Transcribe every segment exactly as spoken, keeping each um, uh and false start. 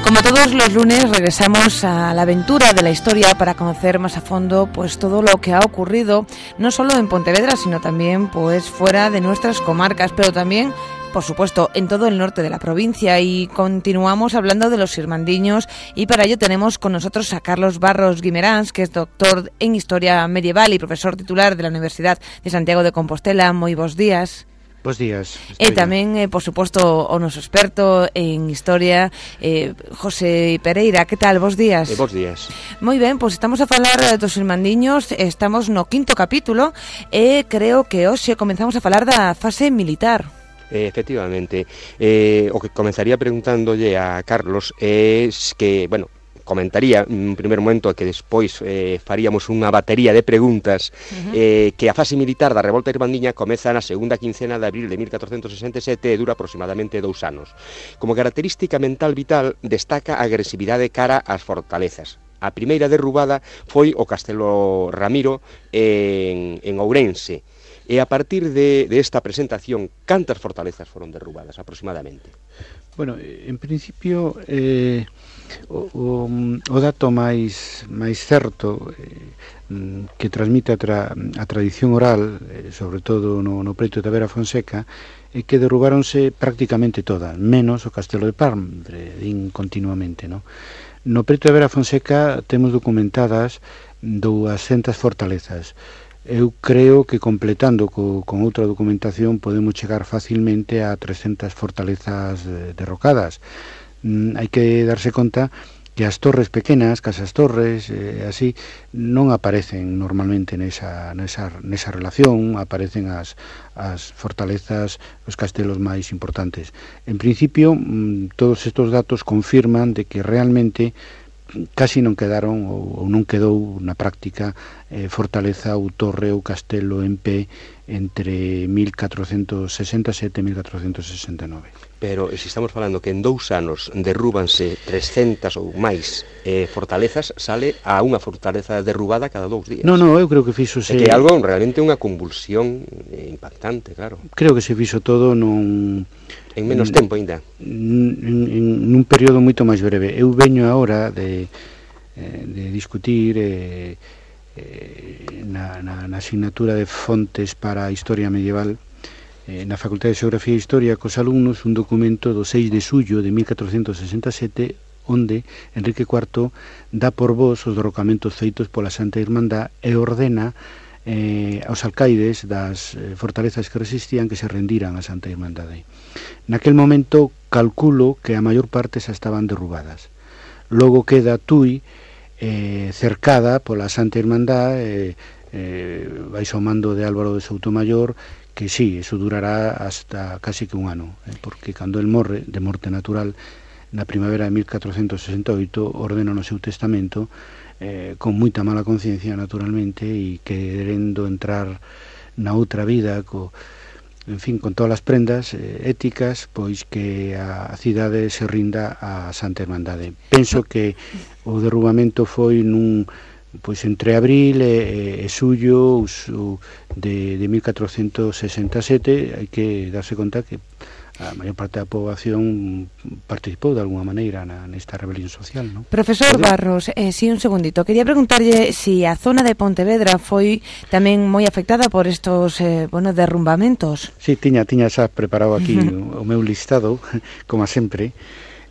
Como todos los lunes regresamos a la aventura de la historia para conocer más a fondo pues todo lo que ha ocurrido no solo en Pontevedra sino también pues fuera de nuestras comarcas, pero también por supuesto en todo el norte de la provincia. Y continuamos hablando de los irmandiños y para ello tenemos con nosotros a Carlos Barros Guimeráns, que es doctor en Historia Medieval y profesor titular de la Universidad de Santiago de Compostela. Moi bons días. Bos días. E tamén, eh, por suposto, o noso experto en historia, eh, José Pereira. Que tal? Bos días. Eh, bos días. Moi ben, pois estamos a falar dos irmandiños, estamos no quinto capítulo e creo que hoxe comenzamos a falar da fase militar. Eh, efectivamente. Eh, o que comenzaría preguntándolle a Carlos é que, bueno, comentaría en primer momento que despois eh, faríamos unha batería de preguntas. Uh-huh. eh, que a fase militar da revolta irmandiña comeza na segunda quincena de abril de mil catrocentos sesenta e sete e dura aproximadamente dous anos. Como característica mental vital destaca a agresividade cara ás fortalezas. A primeira derrubada foi o Castelo Ramiro en, en Ourense. E a partir de, de esta presentación, cantas fortalezas foron derrubadas aproximadamente? Bueno, en principio eh, o, o, o dato máis máis certo eh, que transmite a, tra, a tradición oral, eh, sobre todo no, no preito de Tavera Fonseca, é que derrubáronse prácticamente todas, menos o Castelo de Parbre, din continuamente, no? No preito de Tavera Fonseca temos documentadas duascentas fortalezas. Eu creo que completando co, con outra documentación podemos chegar facilmente a trescentas fortalezas eh, derrocadas. Mm, hai que darse conta que as torres pequenas, casas torres, eh, así, non aparecen normalmente nesa, nesa, nesa relación, aparecen as, as fortalezas, os castelos máis importantes. En principio, mm, todos estes datos confirman de que realmente casi non quedaron ou, ou non quedou na práctica eh, fortaleza ou torre ou castelo en pé entre mil catrocentos sesenta e sete e mil catrocentos sesenta e nove. Pero se estamos falando que en dous anos derrúbanse trescentas ou máis eh, fortalezas, sale a unha fortaleza derrubada cada dous días. Non, non, eu creo que fixose... É que é algo realmente unha convulsión eh, impactante, claro. Creo que se fixo todo nun... En menos tempo ainda. En, en, nun período moito máis breve. Eu veño agora de, de discutir eh, eh, na, na, na asignatura de fontes para a historia medieval eh, na Facultade de Xeografía e Historia cos alumnos un documento do seis de xullo de mil catrocentos sesenta e sete onde Enrique cuarto dá por vos os derrocamentos feitos pola Santa Irmandad e ordena eh, aos alcaides das eh, fortalezas que resistían que se rendiran a Santa Irmandade. Naquel momento calculo que a maior parte xa estaban derrubadas. Logo queda Tui eh, cercada pola Santa Irmandad, eh, eh, baixo o mando de Álvaro de Soutomayor, que sí, eso durará hasta casi que un ano, eh, porque cando el morre, de morte natural, na primavera de mil catrocentos sesenta e oito, ordena no seu testamento, eh, con moita mala conciencia, naturalmente, e querendo entrar na outra vida, co... en fin, con todas as prendas eh, éticas, pois que a, a cidade se rinda a Santa Irmandade. Penso que o derrubamento foi nun, pois entre abril e, e xullo de, de mil catrocentos sesenta e sete. Hai que darse conta que a maior parte da poboación participou de alguna maneira na, nesta rebelión social, non? Profesor Barros, eh, sí, un segundito. Quería preguntarlle si a zona de Pontevedra foi tamén moi afectada por estos, eh, bueno, derrumbamentos. Sí, tiña, tiña xa preparado aquí o, o meu listado, como sempre.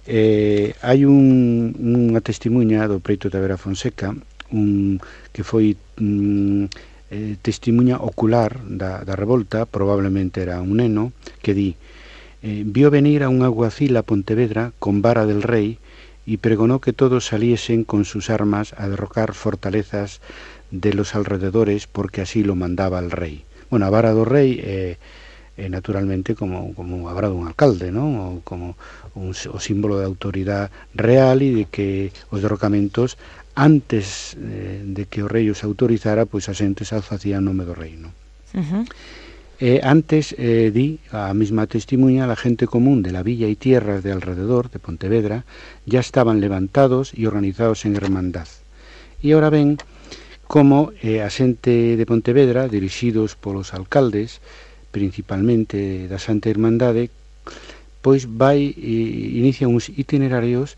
Eh, hai un, unha testimuña do preito de Tavera Fonseca, un, que foi un, eh, testimuña ocular da, da revolta, probablemente era un neno, que di: Eh, vio venir a un alguacil a Pontevedra con vara del rey y pregonó que todos saliesen con sus armas a derrocar fortalezas de los alrededores porque así lo mandaba el rey. Bueno, a vara do rei é, é naturalmente como, como a vara dun alcalde, non? O como un, o símbolo de autoridade real e de que os derrocamentos antes eh, de que o rei os autorizara, pois a xente xa facía en nome do rei, non? Uh-huh. Eh, antes, eh, di a mesma testimonha, la gente común de la villa y tierras de alrededor de Pontevedra ya estaban levantados y organizados en hermandad. E ahora ven como eh, a xente de Pontevedra, dirixidos polos alcaldes, principalmente da Santa Irmandade, pois vai e inicia uns itinerarios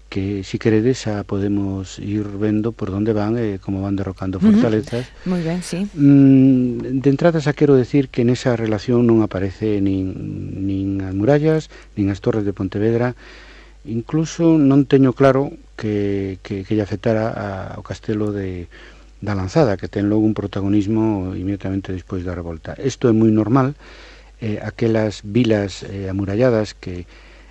que si queredes xa podemos ir vendo por onde van e eh, como van derrocando fortalezas. Uh-huh. Moi ben, sí. Mm, de entrada xa quero decir que nesa relación non aparece nin, nin as murallas, nin as torres de Pontevedra, incluso non teño claro que, que, que lle afectara ao castelo de, da Lanzada, que ten logo un protagonismo inmediatamente despois da revolta. Isto é moi normal, eh, aquelas vilas eh, amuralladas que,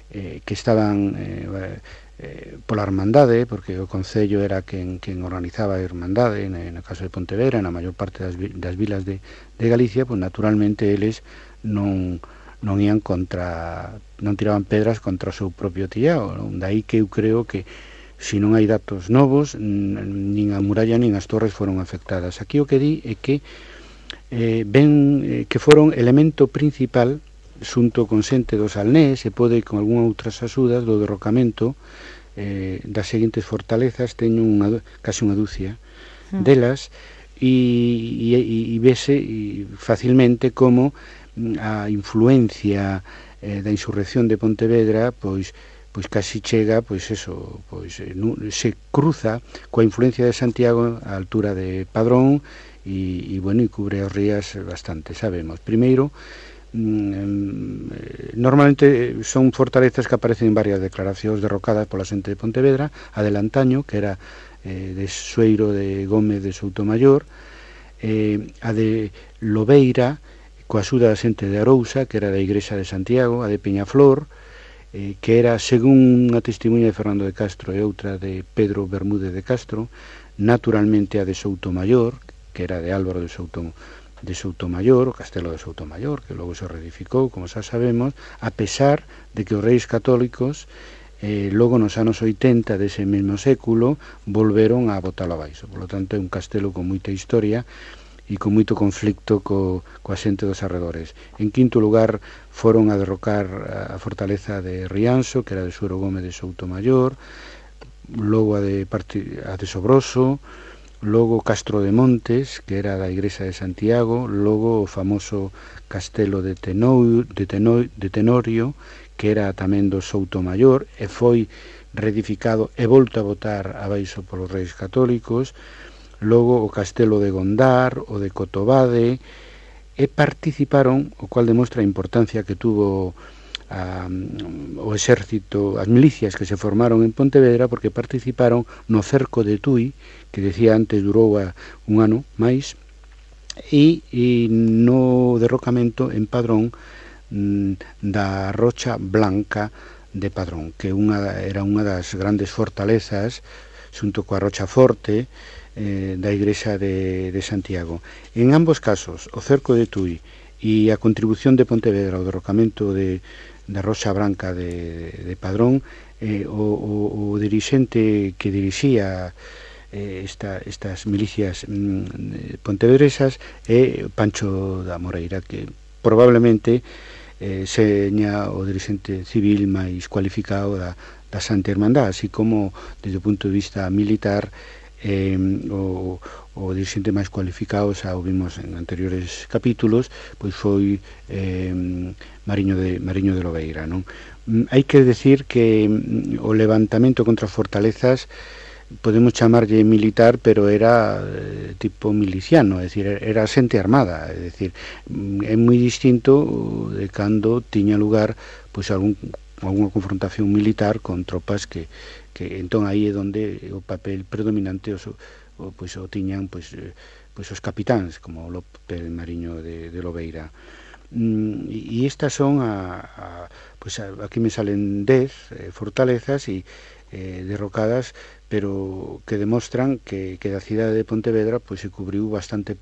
eh, que estaban... Eh, Eh, pola Hermandade, porque o Concello era quen, quen organizaba a Hermandade, no, no caso de Pontevedra, na maior parte das, das vilas de, de Galicia, pues naturalmente eles non, non ian contra, non tiraban pedras contra o seu propio tillao, non? Daí que eu creo que se non hai datos novos, nin a muralla nin as torres foron afectadas. Aquí o que di é que eh, ven eh, que foron elemento principal xunto con xente dos Alnés e pode con algunhas outras axudas do derrocamento eh, das seguintes fortalezas. Teño unha, casi unha dúcia mm. delas e, e, e vese e facilmente como a influencia eh, da insurrección de Pontevedra pois pois casi chega, pois eso, pois eh, se cruza coa influencia de Santiago á altura de Padrón e, e bueno, e cubre as rías bastante, sabemos. Primeiro, normalmente son fortalezas que aparecen en varias declaracións derrocadas pola xente de Pontevedra, a de Lantaño, que era eh, de Sueiro de Gómez de Soutomayor, eh, a de Lobeira, coa axuda da xente de Arousa, que era da Igrexa de Santiago, a de Peñaflor, eh, que era, según unha testemunha de Fernando de Castro e outra de Pedro Bermúdez de Castro, naturalmente a de Soutomayor, que era de Álvaro de Soutomayor, de Soutomayor, o castelo de Soutomayor, que logo se reedificou, como xa sabemos, a pesar de que os reis católicos eh, logo nos anos oitenta dese mesmo século volveron a botalo abaixo. Por lo tanto, é un castelo con moita historia e con moito conflicto co, coa xente dos arredores. En quinto lugar foron a derrocar a fortaleza de Rianxo, que era de Suero Gómez de Soutomayor, logo a de, a de Sobroso, logo Castro de Montes, que era da Igrexa de Santiago, logo o famoso castelo de, Tenou, de, Tenou, de Tenorio, que era tamén do Soutomayor, e foi reedificado e volto a botar abaixo polos reis católicos, logo o castelo de Gondar, o de Cotobade, e participaron, o cual demostra a importancia que tuvo a, o exército, as milicias que se formaron en Pontevedra, porque participaron no cerco de Tui, que decía antes durou a un ano máis, e, e no derrocamento en Padrón mm, da Rocha Blanca de Padrón, que unha, era unha das grandes fortalezas xunto coa Rocha Forte eh, da Igrexa de, de Santiago. En ambos casos, o cerco de Tui e a contribución de Pontevedra ao derrocamento de da Roxa Branca de, de Padrón, eh, o, o, o dirixente que dirixía eh, esta, estas milicias mm, pontevedresas é Pancho da Moreira, que probablemente eh, seña o dirixente civil máis cualificado da, da Santa Hermandad, así como desde o punto de vista militar eh, o, o dirixente máis cualificado, xa o vimos en anteriores capítulos, pois foi eh, Mariño de, Mariño de Lobeira, non? Hai que decir que o levantamento contra as fortalezas podemos chamarlle militar, pero era eh, tipo miliciano, é dicir, era xente armada, é dicir, é moi distinto de cando tiña lugar pois algún algunha confrontación militar con tropas que, que entón aí é onde o papel predominante o, o, pois, o tiñan pois, pois os capitáns, como López Mariño de, de Lobeira. Mm, e estas son a, a, pois a, aquí me salen dez eh, fortalezas e eh, derrocadas, pero que demostran que, que da cidade de Pontevedra pois se cubriu bastante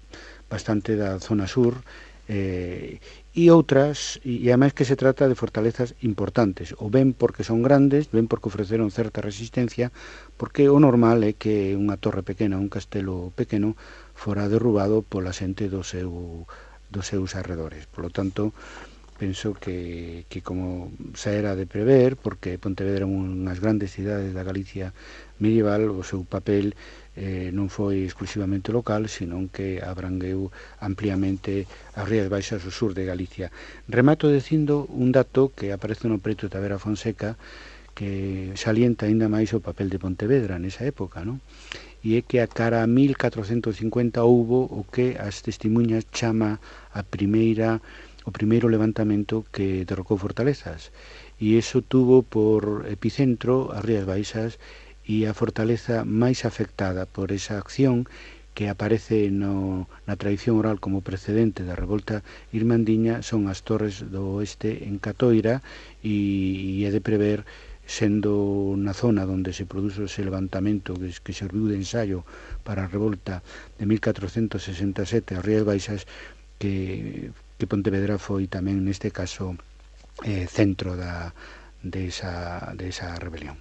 bastante da zona sur, eh, e outras, e, e ademais que se trata de fortalezas importantes, ou ben porque son grandes, ben porque ofreceron certa resistencia, porque o normal é que unha torre pequena, un castelo pequeno, fora derrubado pola xente do seu dos seus arredores. Por lo tanto, penso que, que como xa era de prever, porque Pontevedra é unhas grandes cidades da Galicia medieval, o seu papel eh, non foi exclusivamente local, senón que abrangueu ampliamente as Rías Baixas do sur de Galicia. Remato dicindo un dato que aparece no preto de Tavera Fonseca, que salienta aínda máis o papel de Pontevedra nesa época, non? E é que a cara a mil catrocentos cincuenta houbo o que as testemunhas chama a primeira o primeiro levantamento que derrocou fortalezas, e iso tuvo por epicentro as Rías Baixas e a fortaleza máis afectada por esa acción que aparece no, na tradición oral como precedente da revolta irmandiña son as Torres do Oeste en Catoira, e, e é de prever, sendo na zona onde se produzo ese levantamento que, que serviu de ensayo para a revolta de mil catrocentos sesenta e sete as Rías Baixas, que, que Pontevedra foi tamén neste caso eh, centro da, de, esa, de esa rebelión.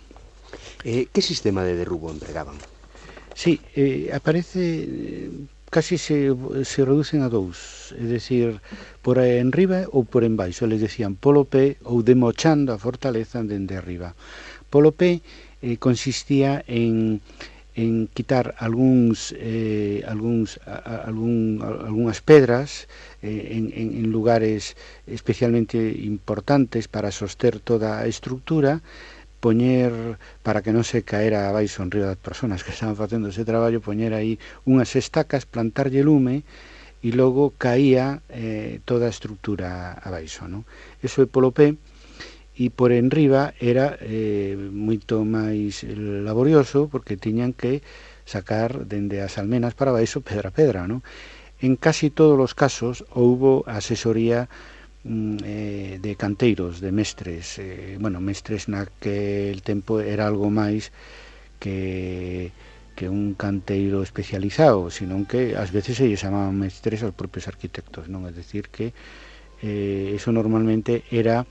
Eh, que sistema de derrubo empregaban? Sí, eh, aparece, eh, casi se, se reducen a dous, é dicir, por enriba ou por embaixo, les decían polo pé ou demochando a fortaleza dende arriba. Polo pé eh, consistía en, en quitar algúns, eh, algúns, a, algún, algúnas pedras eh, en, en lugares especialmente importantes para soster toda a estructura, poñer, para que non se caera abaixo en río das persoas que estaban facendo ese traballo, poñer aí unhas estacas, plantarlle lume, e logo caía eh, toda a estructura abaixo, non? Eso é polo pé, e por enriba era eh, moito máis laborioso, porque tiñan que sacar dende as almenas para abaixo pedra a pedra, non? En casi todos os casos houbo asesoría Eh, de canteiros, de mestres, eh, bueno, mestres naquel tempo era algo máis que, que un canteiro especializado, senón que ás veces se lle chamaban mestres aos propios arquitectos, non? É dicir que eh, eso normalmente era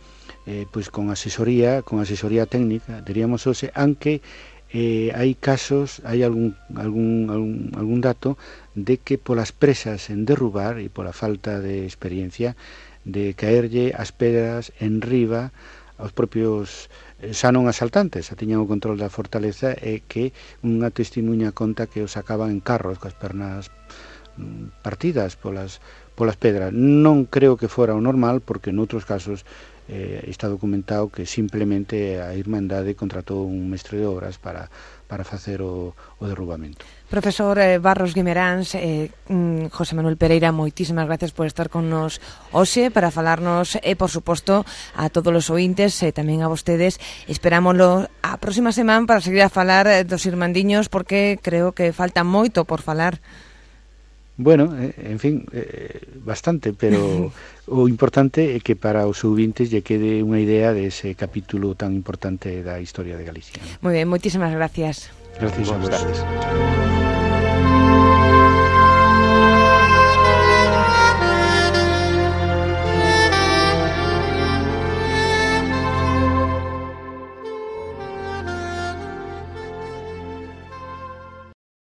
eh, pois con asesoría, con asesoría técnica, diríamos hoxe, aunque eh, hai casos, hai algún, algún, algún, algún dato de que polas presas en derrubar e pola falta de experiencia de caerlle as pedras en riba aos propios, xa non asaltantes, xa tiñan o control da fortaleza, e que unha testimuña conta que os sacaban en carros coas pernas partidas polas, polas pedras. Non creo que fora o normal, porque noutros casos eh, está documentado que simplemente a Irmandade contratou un mestre de obras para, para facer o, o derrubamento. Profesor eh, Barros Guimeráns, eh, mm, José Manuel Pereira, moitísimas gracias por estar con nos hoxe para falarnos, e, eh, por suposto, a todos os ointes e eh, tamén a vostedes. Esperámoslo a próxima semana para seguir a falar eh, dos irmandiños, porque creo que falta moito por falar. Bueno, eh, en fin, eh, bastante, pero o importante é que para os ouvintes lle quede unha idea dese capítulo tan importante da historia de Galicia, ¿no? Moi ben, moitísimas gracias. Gracias a vos.